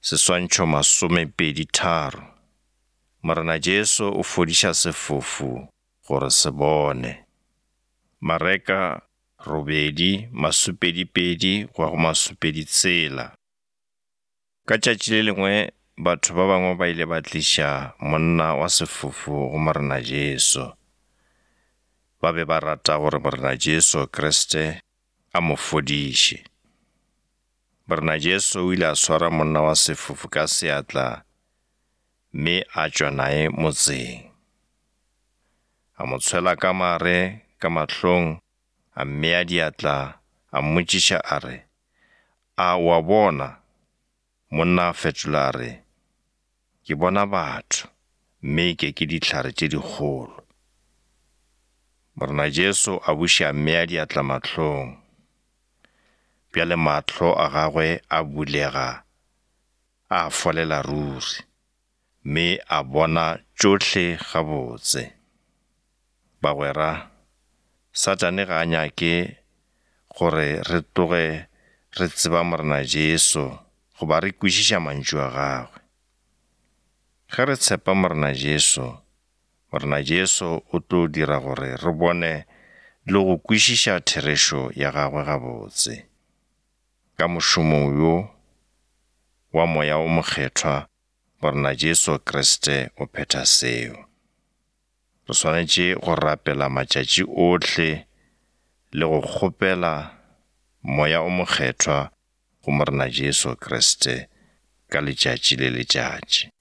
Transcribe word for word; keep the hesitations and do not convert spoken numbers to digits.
Seswantšho masomepedi tharo. Morena Jesu o fodiša sefofu gore se bone. Mareka robedi masupedipedi go go masupedi tsela. Ka tšatši le lengwe batho ba bangwe ba ile ba tliša monna wa sefofu go morena Jesu. Ba be ba rata gore morena Jesu Kriste a mo fodiše. Morena Jesu o ile a swara monna wa sefofu ka seatla mme a tšwa nae motseng. A mo tshwela ka mare ka mahlong, a mmea diatla, a mmotšiša a re, "A wa bona?" Monna a fetola a re, "Ke bona batho, mme ke ke dihlare tše dikgolo." Morena Jesu a buša a mmea diatla mahlong. Bjale mahlo a gagwe a bulega, a folela ruri, mme a bona tšohle gabotse. Bagwera, Satane ga a nyake gore re tloge re tseba morena Jesu goba re kwešiša mantšu a gagwe. Ge re tshepa morena Jesu, morena Jesu o tlo dira gore re bone le go kwešiša therešo ya gagwe gabotse. Ka mošomo yo wa moya o mokgethwa, morena Jesu Kriste o phetha seo. Re swanetše go rapela matšatši ohle le go kgopela moya o mokgethwa go morena Jesu Kriste ka letšatši le letšatši.